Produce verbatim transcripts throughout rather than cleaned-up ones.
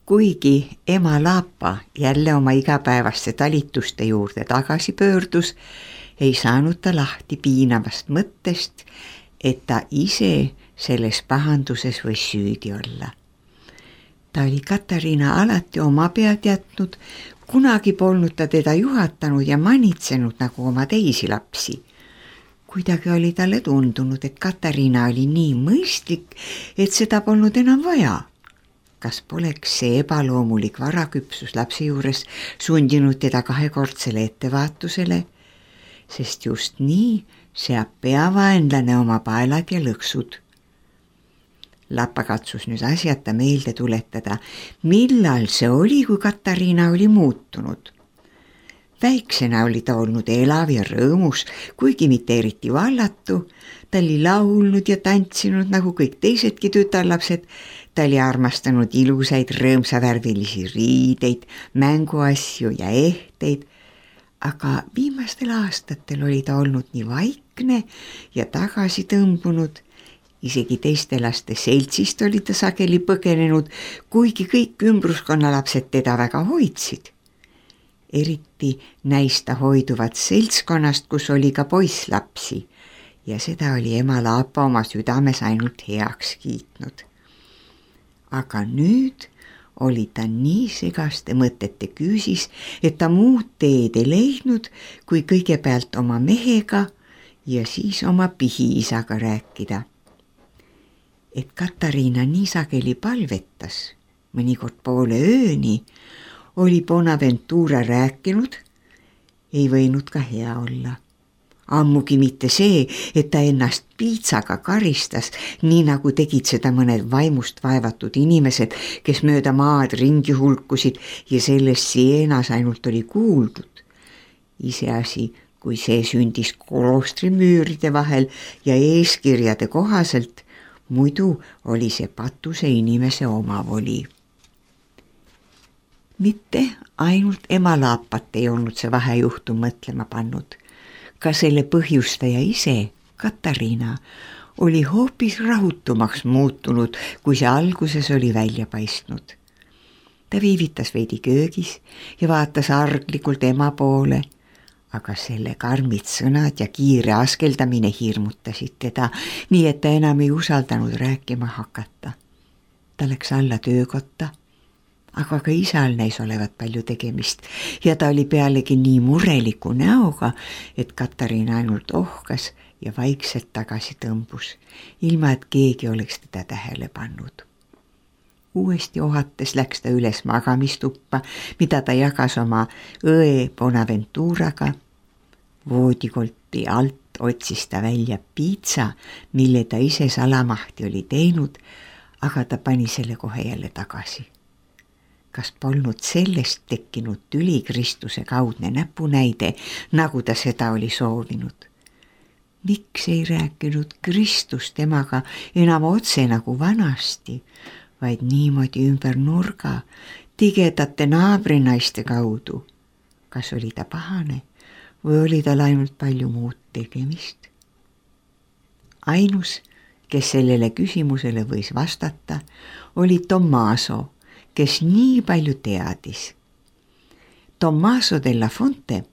Kuigi ema Laapa jälle oma igapäevaste talituste juurde tagasi pöördus, ei saanud ta lahti piinavast mõttest, et ta ise selles pahanduses võis süüdi olla. Ta oli Katariina alati oma pead jätnud, kunagi polnud ta teda juhatanud ja manitsenud nagu oma teisi lapsi. Kuidagi oli talle tundunud, et Katariina oli nii mõistlik, et seda polnud enam vaja. Kas poleks see ebaloomulik varaküpsus lapse juures sundinud teda kahekordsele ettevaatusele, sest just nii seab peavaenlane oma paelad ja lõksud. Lappa katsus nüüd asjata meelde tuletada, millal see oli, kui Katariina oli muutunud. Väiksena oli ta olnud elav ja rõõmus, kuigi mitte eriti vallatu. Ta oli laulnud ja tantsinud nagu kõik teisedki tütarlapsed. Ta oli armastanud ilusaid rõõmsavärvilisi riideid, mänguasju ja ehteid. Aga viimastel aastatel oli ta olnud nii vaikne ja tagasi tõmbunud. Isegi teiste laste seltsist oli ta sageli põgenenud, kuigi kõik ümbruskonnalapsed teda väga hoidsid. Eriti näista hoiduvat seltskonnast, kus oli ka poisslapsi ja seda oli ema Laapa oma südames ainult heaks kiitnud. Aga nüüd oli ta nii segaste mõtete küüsis, et ta muud teed ei leidnud, kui kõigepealt oma mehega ja siis oma pihiisaga rääkida. Et Katariina nii sageli palvetas, mõnikord poole ööni, oli Bonaventura rääkinud, ei võinud ka hea olla. Ammugi mitte see, et ta ennast piitsaga karistas, nii nagu tegid seda mõned vaimust vaevatud inimesed, kes mööda maad ringi hulkusid ja sellest Sienas ainult oli kuuldud. Iseasi, kui see sündis kloostri müüride vahel ja eeskirjade kohaselt, muidu oli see patuse inimese omavoli. Mitte ainult ema Laapat ei olnud see vahejuhtum mõtlema pannud. Ka selle põhjustaja ise, Katariina, oli hoopis rahutumaks muutunud, kui see alguses oli välja paistnud. Ta viivitas veidi köögis ja vaatas arglikult ema poole, aga selle karmid sõnad ja kiire askeldamine hirmutasid teda, nii et ta enam ei usaldanud rääkima hakata. Ta läks alla töökotta, aga ka isal näis olevat palju tegemist ja ta oli pealegi nii mureliku näoga, et Katariina ainult ohkas ja vaikselt tagasi tõmbus, ilma et keegi oleks teda tähele pannud. Uuesti ohates läks ta üles magamistuppa, mida ta jagas oma õe Bonaventuraga. Voodikolti alt otsis ta välja piitsa, mille ta ise salamahti oli teinud, aga ta pani selle kohe jälle tagasi. Kas polnud sellest tekkinud tüli Kristuse kaudne näpunäide, nagu ta seda oli soovinud? Miks ei rääkinud Kristus temaga enam otse nagu vanasti, vaid niimoodi ümber nurga, tigedate naabrinaiste kaudu? Kas oli ta pahane või oli tal ainult palju muud tegemist? Ainus, kes sellele küsimusele võis vastata, oli Tommaso, kes nii palju teadis. Tommaso della Fonte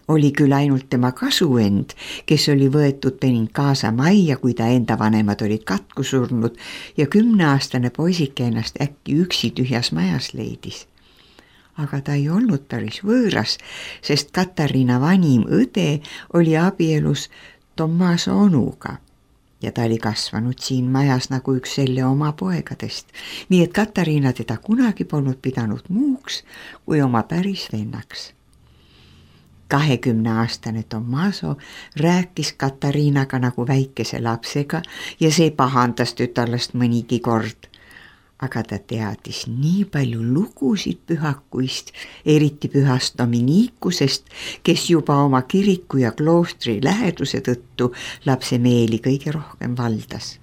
oli küll ainult tema kasuend, kes oli võetud Benincaasa majja, kui ta enda vanemad olid katku surnud ja kümneaastane poisike ennast äkki üksi tühjas majas leidis. Aga ta ei olnud päris võõras, sest Katariina vanim õde oli abielus Tommaso onuga ja ta oli kasvanud siin majas nagu üks selle oma poegadest, nii et Katariina teda kunagi polnud pidanud muuks kui oma päris vennaks. Kahekümneaastane Tommaso rääkis Katariinaga nagu väikese lapsega ja see pahandas tütarlast mõnigi kord. Aga ta teadis nii palju lugusid pühakuist, eriti pühast Dominikusest, kes juba oma kiriku ja kloostri läheduse tõttu lapse meeli kõige rohkem valdas.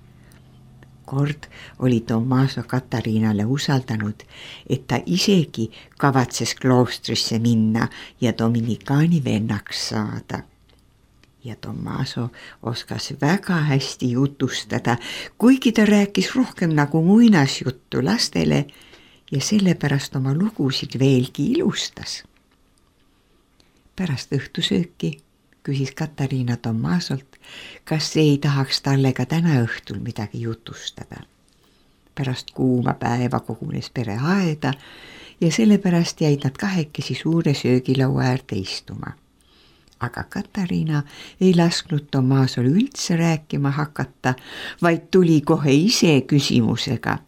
Kord oli Tommaso Katariinale usaldanud, et ta isegi kavatses kloostrisse minna ja dominikaani vennaks saada. Ja Tommaso oskas väga hästi jutustada, kuigi ta rääkis rohkem nagu muinasjuttu lastele ja sellepärast oma lugusid veelgi ilustas. Pärast õhtusööki küsis Katariina Tomasolt, kas ei tahaks talle ka täna õhtul midagi jutustada. Pärast kuuma päeva kogunes pere aeda ja sellepärast jäid nad kahekesi suure söögilaua äärde istuma. Aga Katariina ei lasknud Tomasol üldse rääkima hakata, vaid tuli kohe ise küsimusega.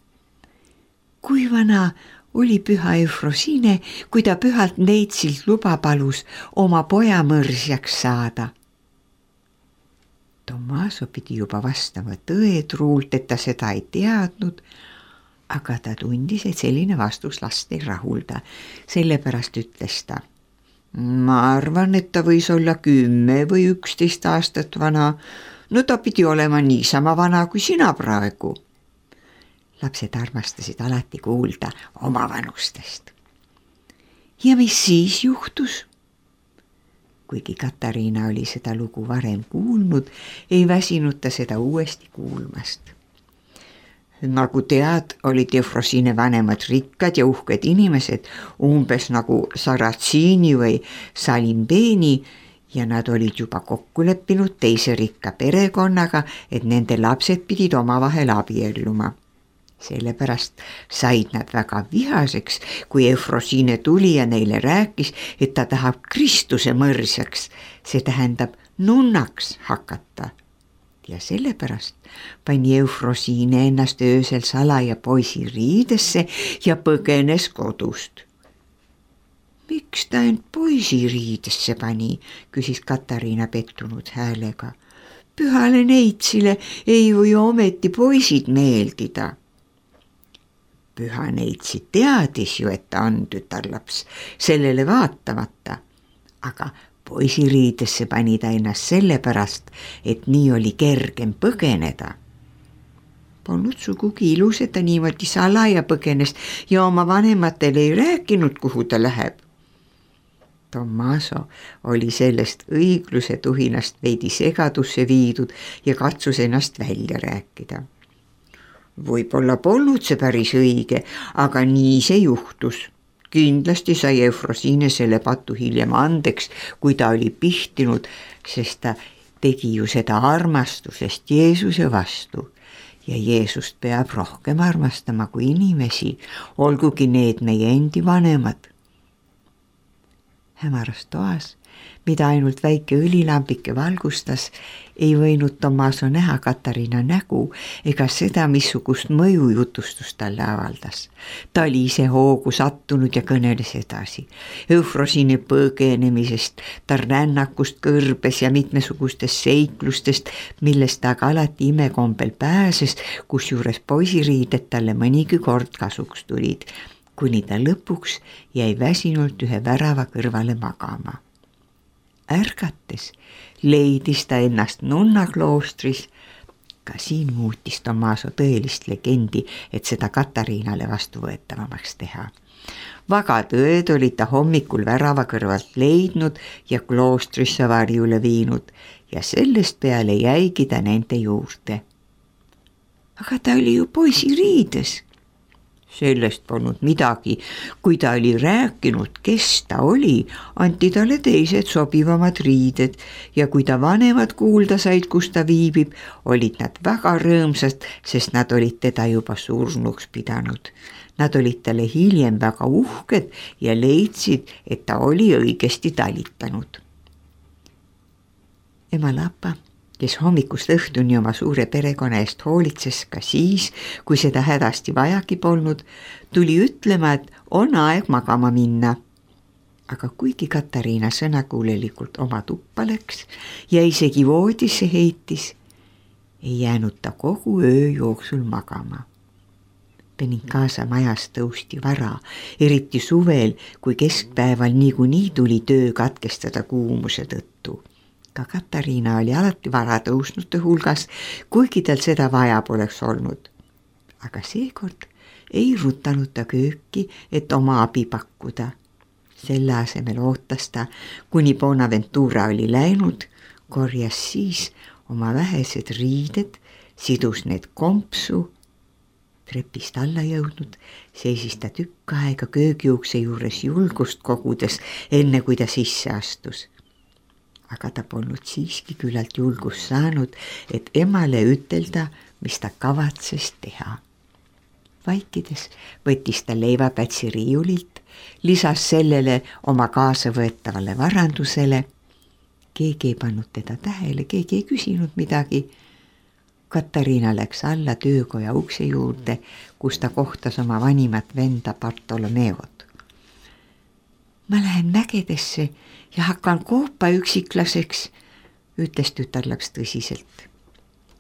Kui vana oli püha Eufrosiine, kui ta pühalt neitsilt luba palus oma poja mõrsjaks saada? Tomaso pidi juba vastama tõetruult, et ta seda ei teadnud, aga ta tundis, et selline vastus last ei rahulda. Sellepärast ütles ta. Ma arvan, et ta võis olla kümme või üksteist aastat vana. No ta pidi olema niisama vana kui sina praegu. Lapsed armastasid alati kuulda oma vanustest. Ja mis siis juhtus? Kuigi Katariina oli seda lugu varem kuulnud, ei väsinud ta seda uuesti kuulmast. Nagu tead, olid Eufrosiine vanemad rikkad ja uhked inimesed, umbes nagu Saratsiini või Salimbeni, ja nad olid juba kokku leppinud teise rikka perekonnaga, et nende lapsed pidid omavahel abielluma. Sellepärast said nad väga vihaseks, kui Eufrosiine tuli ja neile rääkis, et ta tahab Kristuse mõrsjaks, see tähendab nunnaks hakata. Ja sellepärast pani Eufrosiine ennast öösel salaja poisi riidesse ja põgenes kodust. Miks ta end poisi riidesse pani, küsis Katariina pettunud häälega. Pühale neitsile ei või ometi poisid meeldida. Püha neitsi teadis ju, et ta on tütarlaps, sellele vaatamata, aga poisiriidesse pani ta ennast sellepärast, et nii oli kergem põgeneda. Polnud sugugi ilus, et ta niimoodi salaja põgenes ja oma vanematele ei rääkinud, kuhu ta läheb. Tomaso oli sellest õigluse tuhinast veidi segadusse viidud ja katsus ennast välja rääkida. Võib-olla polnud see päris õige, aga nii see juhtus. Kindlasti sai Eufrosiine selle patu hiljem andeks, kui ta oli pihtinud, sest ta tegi ju seda armastusest Jeesuse vastu. Ja Jeesust peab rohkem armastama kui inimesi, olgugi need meie endi vanemad. Hämaras toas, mida ainult väike õlilambike valgustas, ei võinud Tomaso näha Katariina nägu ega seda, missugust mõju jutustus talle avaldas. Ta oli ise hoogu sattunud ja kõneles edasi. Eufrosiine põgenemisest, ta rännakust kõrbes ja mitmesugustest seiklustest, millest ta aga alati imekombel pääses, kusjuures poisiriided talle mõnigi kord kasuks tulid, kuni ta lõpuks jäi väsinult ühe värava kõrvale magama. Ärgates leidis ta ennast nunnakloostris. Ka siin muutis Tomaso tõelist legendi, et seda Katariinale vastuvõetavamaks teha. Vagatõed olid ta hommikul värava kõrvalt leidnud ja kloostrisse varjule viinud ja sellest peale jäigi ta nende juurde. Aga ta oli ju poisi riides. Sellest polnud midagi, kui ta oli rääkinud, kes ta oli, anti talle teised sobivamad riided ja kui ta vanemad kuulda said, kus ta viibib, olid nad väga rõõmsad, sest nad olid teda juba surnuks pidanud. Nad olid talle hiljem väga uhked ja leidsid, et ta oli õigesti talitanud. Ema Lapa, kes hommikust õhtuni oma suure perekonna eest hoolitses ka siis, kui seda hädasti vajagi polnud, tuli ütlema, et on aeg magama minna. Aga kuigi Katariina sõnakuulelikult oma tuppa läks ja isegi voodisse heitis, ei jäänud ta kogu öö jooksul magama. Benincasa majas tõusti vara, eriti suvel, kui keskpäeval niikuinii tuli töö katkestada kuumuse tõttu. Ka Katariina oli alati vara tõusnute hulgas, kuigi tal seda vaja poleks olnud. Aga seekord ei rutanud ta kööki, et oma abi pakkuda. Selle asemel ootas ta, kuni Bonaventura oli läinud, korjas siis oma vähesed riided, sidus need kompsu. trepist alla jõudnud, seisis ta tükk aega köögiukse juures julgust kogudes, enne kui ta sisse astus. Aga ta polnud siiski küllalt julgust saanud, et emale ütelda, mis ta kavatses teha. Vaikides võttis ta leivapätsi riiulilt, lisas sellele oma kaasa võetavale varandusele. Keegi ei pannud teda tähele, keegi ei küsinud midagi. Katariina läks alla töökoja ukse juurde, kus ta kohtas oma vanimat venda Bartolomeod. Ma lähen mägedesse ja hakkan koopa üksiklaseks, ütles tütarlaks tõsiselt.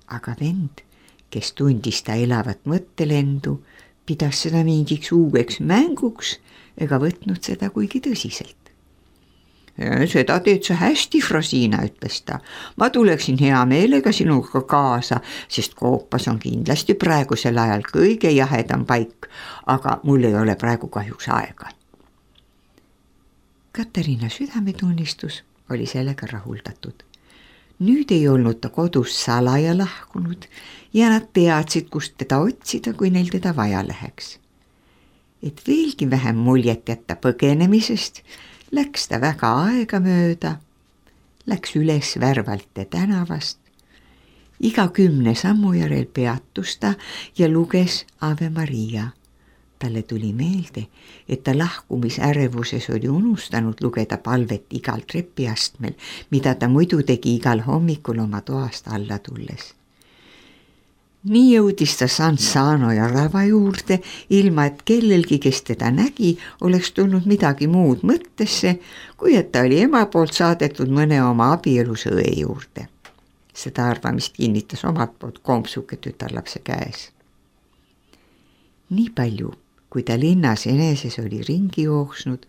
Aga vend, kes tundis ta elavat mõttelendu, pidas seda mingiks uueks mänguks ega võtnud seda kuigi tõsiselt. Seda teed sa hästi, Frosina, ütles ta. Ma tuleksin hea meelega sinuga kaasa, sest koopas on kindlasti praegusel ajal kõige jahedam paik, aga mul ei ole praegu kahjuks aega. Katariina südametunnistus oli sellega rahuldatud. Nüüd ei olnud ta kodus salaja lahkunud ja nad teadsid, kust teda otsida, kui neil teda vaja läheks. Et veelgi vähem muljet jätta põgenemisest, läks ta väga aega mööda, läks üles Värvalte tänavast. Iga kümne sammu järel peatus ta ja luges Ave Maria. Talle tuli meelde, et ta lahkumisärevuses oli unustanud lugeda palvet igal trepiastmel, mida ta muidu tegi igal hommikul oma toast alla tulles. Nii jõudis ta San Sano ja rava juurde, ilma et kellelgi, kes teda nägi, oleks tulnud midagi muud mõttesse, kui et ta oli ema poolt saadetud mõne oma abielus õe juurde. Seda arvamist kinnitas omalt poolt kompsuke tütarlapse käes. Nii palju, kui ta linnas eneses oli ringi jooksnud,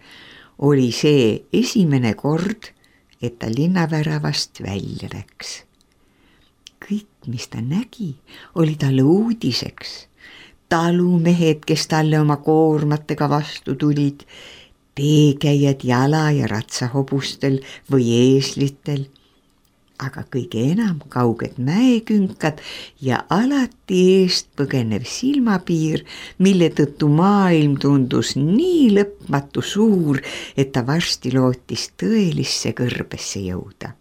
oli see esimene kord, et ta linnaväravast välja läks. Kõik, mis ta nägi, oli talle uudiseks. Talumehed, kes talle oma koormatega vastu tulid, teekäijad jala ja ratsahobustel või eeslitel, aga kõige enam kauged mäekünkad ja alati eest põgenev silmapiir, mille tõttu maailm tundus nii lõpmatu suur, et ta varsti lootis tõelisse kõrbesse jõuda.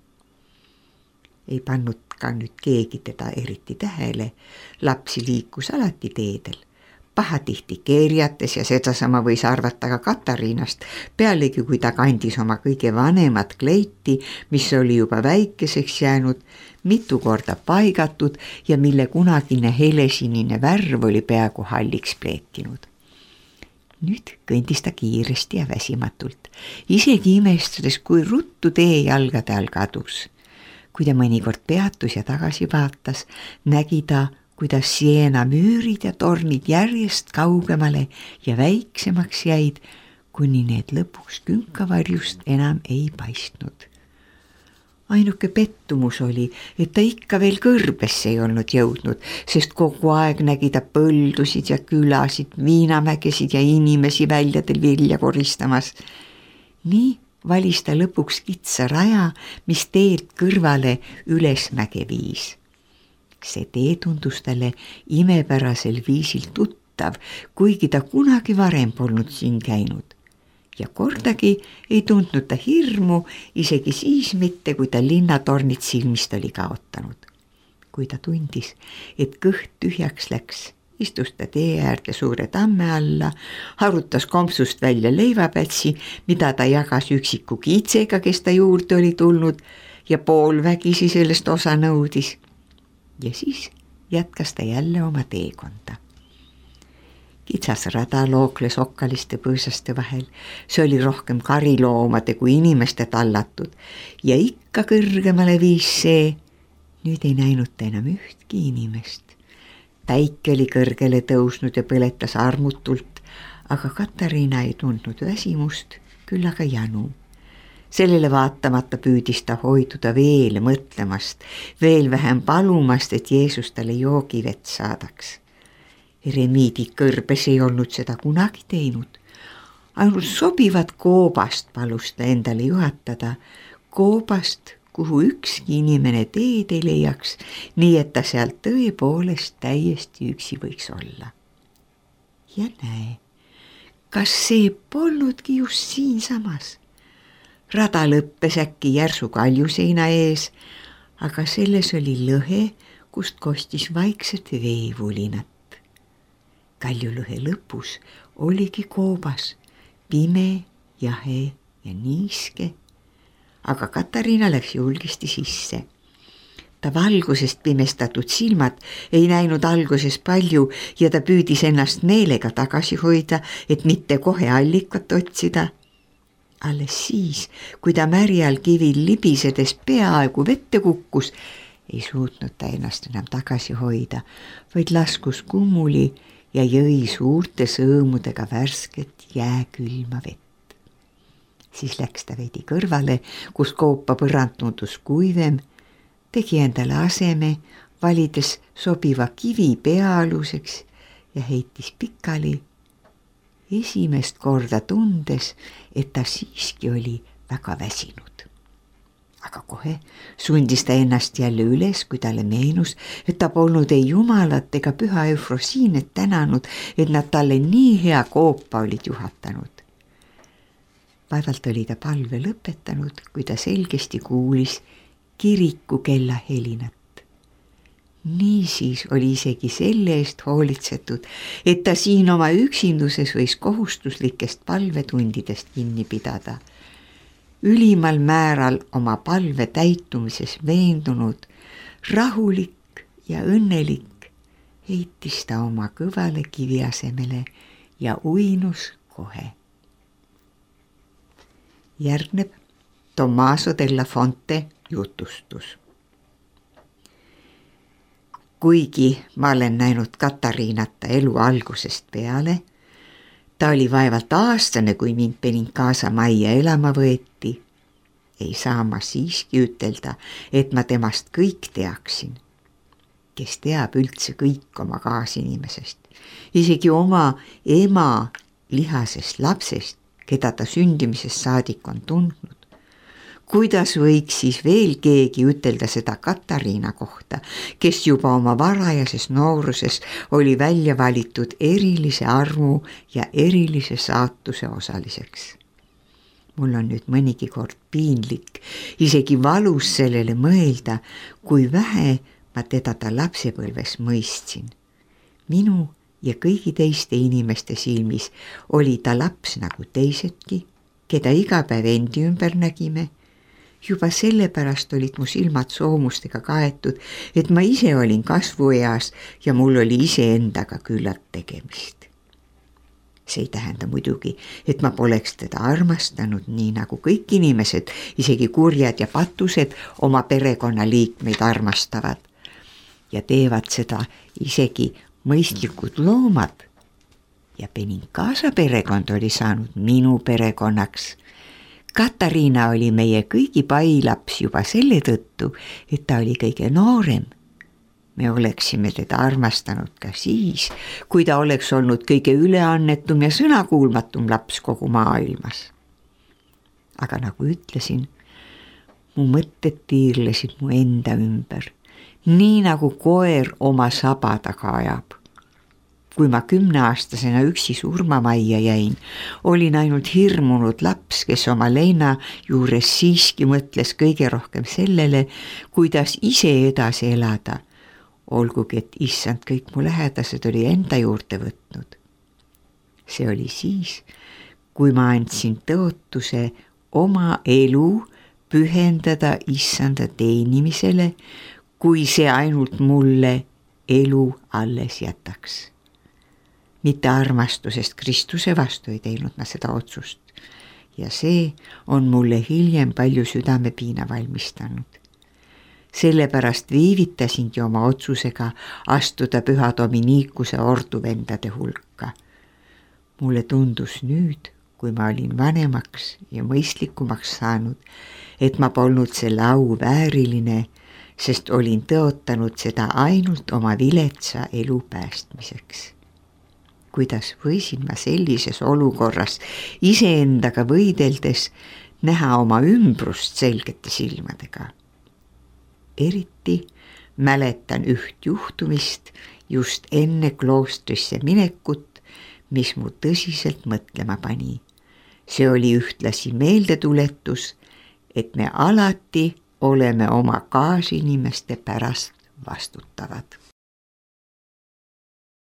Ei pannud ka nüüd keegi teda eriti tähele, lapsi liikus alati teedel, pahatihti keerjates ja sedasama võis arvata ka Katariinast, pealegi kui ta kandis oma kõige vanemat kleiti, mis oli juba väikeseks jäänud, mitu korda paigatud ja mille kunagine helesinine värv oli peaaegu halliks pleetinud. Nüüd kõndis ta kiiresti ja väsimatult, isegi imestades, kui ruttu tee jalgade all kadus. Kui ta mõnikord peatus ja tagasi vaatas, nägi ta, kuidas Siena müürid ja tornid järjest kaugemale ja väiksemaks jäid, kuni need lõpuks künkavarjust enam ei paistnud. Ainuke pettumus oli, et ta ikka veel kõrbesse ei olnud jõudnud, sest kogu aeg nägi ta põldusid ja külasid, viinamägesid ja inimesi väljadel vilja koristamas. Nii valis ta lõpuks kitsa raja, mis teelt kõrvale ülesmäge viis. See tee tundus talle imepärasel viisil tuttav, kuigi ta kunagi varem polnud siin käinud. Ja kordagi ei tundnud ta hirmu, isegi siis mitte, kui ta linnatornid silmist oli kaotanud. Kui ta tundis, et kõht tühjaks läks, istus ta tee äärde suure tamme alla, harutas kompsust välja leivapätsi, mida ta jagas üksiku kiitsega, kes ta juurde oli tulnud ja poolvägisi sellest osa nõudis. Ja siis jätkas ta jälle oma teekonda. Kitsas rada lookles okkaliste põõsaste vahel, see oli rohkem kariloomade kui inimeste tallatud ja ikka kõrgemale viis see, nüüd ei näinud ta enam ühtki inimest. Päike oli kõrgele tõusnud ja põletas armutult, aga Katariina ei tundnud väsimust, küll aga janu. Sellele vaatamata püüdis ta hoiduda veel mõtlemast, veel vähem palumast, et Jeesus talle joogivett saadaks. Eremiidi kõrbes ei olnud seda kunagi teinud. Ainult sobivat koobast palus ta endale juhatada, koobast, kuhu ükski inimene teed ei leiaks, nii et ta sealt tõepoolest täiesti üksi võiks olla. ja näe, kas see polnudki just siinsamas. Rada lõppes äkki järsu kaljuseina ees, aga selles oli lõhe, kust kostis vaikset veevulinat. Kaljulõhe lõpus oligi koobas, pime, jahe ja niiske, aga Katariina läks julgisti sisse. Ta valgusest pimestatud silmad ei näinud alguses palju ja ta püüdis ennast meelega tagasi hoida, et mitte kohe allikat otsida. Alles siis, kui ta märjal kivil libisedes peaaegu vette kukkus, ei suutnud ta ennast enam tagasi hoida, vaid laskus kummuli ja jõi suurte sõõmudega värsket jääkülma vett. Siis läks ta veidi kõrvale, kus koopa põrand tundus kuivem, tegi endale aseme, valides sobiva kivi peaaluseks ja heitis pikali, esimest korda tundes, et ta siiski oli väga väsinud. Aga kohe sundis ta ennast jälle üles, kui talle meenus, et ta polnud ei jumalat ega püha Eufrosiinet tänanud, et nad talle nii hea koopa olid juhatanud. Vaevalt oli ta palve lõpetanud, kui ta selgesti kuulis kiriku kella helinat. Niisiis oli isegi selle eest hoolitsetud, et ta siin oma üksinduses võis kohustuslikest palvetundidest kinni pidada. Ülimal määral oma palve täitumises veendunud, rahulik ja õnnelik, heitis ta oma kõvale kivi asemele ja uinus kohe. Järgneb Tommaso della Fonte jutustus. Kuigi ma olen näinud Katariinata elu algusest peale, ta oli vaevalt aastane, kui mind Benincasa majja elama võeti. Ei saa ma siiski ütelda, et ma temast kõik teaksin. Kes teab üldse kõik oma kaasinimesest, isegi oma ema lihasest lapsest, keda ta sündimisest saadik on tundnud. Kuidas võiks siis veel keegi ütelda seda Katariina kohta, kes juba oma varajases nooruses oli välja valitud erilise armu ja erilise saatuse osaliseks. Mul on nüüd mõnigi kord piinlik, isegi valus sellele mõelda, kui vähe ma teda ta lapsepõlves mõistsin. Minu ja kõigi teiste inimeste silmis oli ta laps nagu teisedki, keda iga päev endi ümber nägime. Juba sellepärast olid mu silmad soomustega kaetud, et ma ise olin kasvueas ja mul oli iseendaga küllalt tegemist. See ei tähenda muidugi, et ma poleks teda armastanud nii nagu kõik inimesed, isegi kurjad ja patused oma perekonnaliikmeid armastavad ja teevad seda isegi mõistlikud loomad. Ja Benincasa perekond oli saanud minu perekonnaks. Katariina oli meie kõigi pailaps juba selle tõttu, et ta oli kõige noorem. Me oleksime teda armastanud ka siis, kui ta oleks olnud kõige üleannetum ja sõnakuulmatum laps kogu maailmas. Aga nagu ütlesin, mu mõtted tiirlesid mu enda ümber, nii nagu koer oma saba taga ajab. Kui ma kümneaastasena üksi surmamajja jäin, olin ainult hirmunud laps, kes oma leina juures siiski mõtles kõige rohkem sellele, kuidas ise edasi elada, olgugi et issand kõik mu lähedased oli enda juurde võtnud. See oli siis, kui ma andsin tõotuse oma elu pühendada issanda teenimisele, kui see ainult mulle elu alles jätaks. Mitte armastusest Kristuse vastu ei teinud ma seda otsust ja see on mulle hiljem palju südamepiina valmistanud. Sellepärast viivitasingi oma otsusega astuda püha Dominikuse orduvendade hulka. Mulle tundus nüüd, kui ma olin vanemaks ja mõistlikumaks saanud, et ma polnud selle au vääriline, sest olin tõotanud seda ainult oma viletsa elu päästmiseks. Kuidas võisin ma sellises olukorras iseendaga võideldes näha oma ümbrust selgete silmadega. Eriti mäletan üht juhtumist just enne kloostrisse minekut, mis mu tõsiselt mõtlema pani. See oli ühtlasi meeldetuletus, et me alati oleme oma kaasinimeste pärast vastutavad.